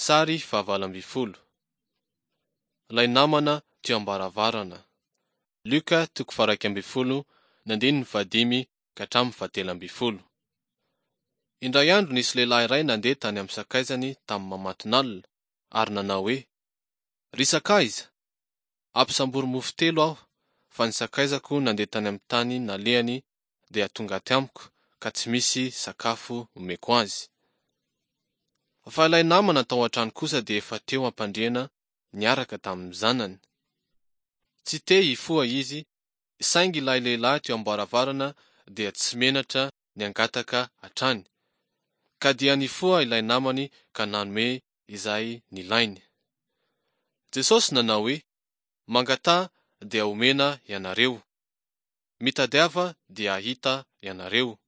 Sary fahavalo ambin'ny folo. Ilay namana teo am-baravarana. Lioka toko faha-iraika ambin'ny folo ny andininy fahadimy ka hatramin'ny fahatelo ambin'ny folo. Indray andro nisy lehilahy iray nandeha tany amin'ny sakaizany tamin'ny mamatonalina ary nanao hoe, Ry sakaiza, ampisambory mofo telo aho, fa ny sakaizako nandeha tany amin'ny tany nalehany dia tonga aty amiko ka tsy misy sakafo omeko azy. Fa ilay namana tao an-trano kosa dia efa teo am-pandriana niaraka tamin'ny zanany. Tsy te hifoha izy, saingy ilay lehilahy teo am-baravarana dia tsy menatra ny hangataka hatrany, ka dia nifoha ilay namany ka nanome izay nilainy. Jesosy nanao hoe, Mangataha dia homena ianareo. Mitadiava dia hahita ianareo.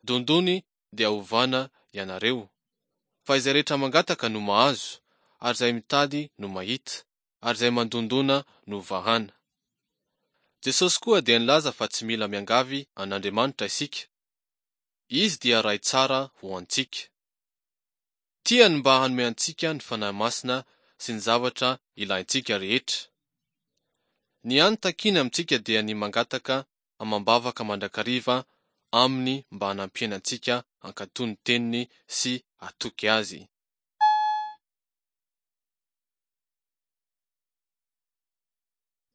Dondony dia hovana ianareo. Fa izay rehetra mangataka no mahazo, ary izay mitady no mahita, ary izay mandondona no vahana. Jesosy koa dia nilaza fa tsy mila miangavy an'Andriamanitra isika. Izy dia Ray tsara ho antsika. Tiany mba hanome antsika ny Fanahy Masina sy ny zavatra ilaintsika rehetra. Ny hany takiany amintsika dia ny mangataka amam-bavaka mandrakariva Aminy mba hanampiany antsika hankatò ny Teniny sy hatoky Azy.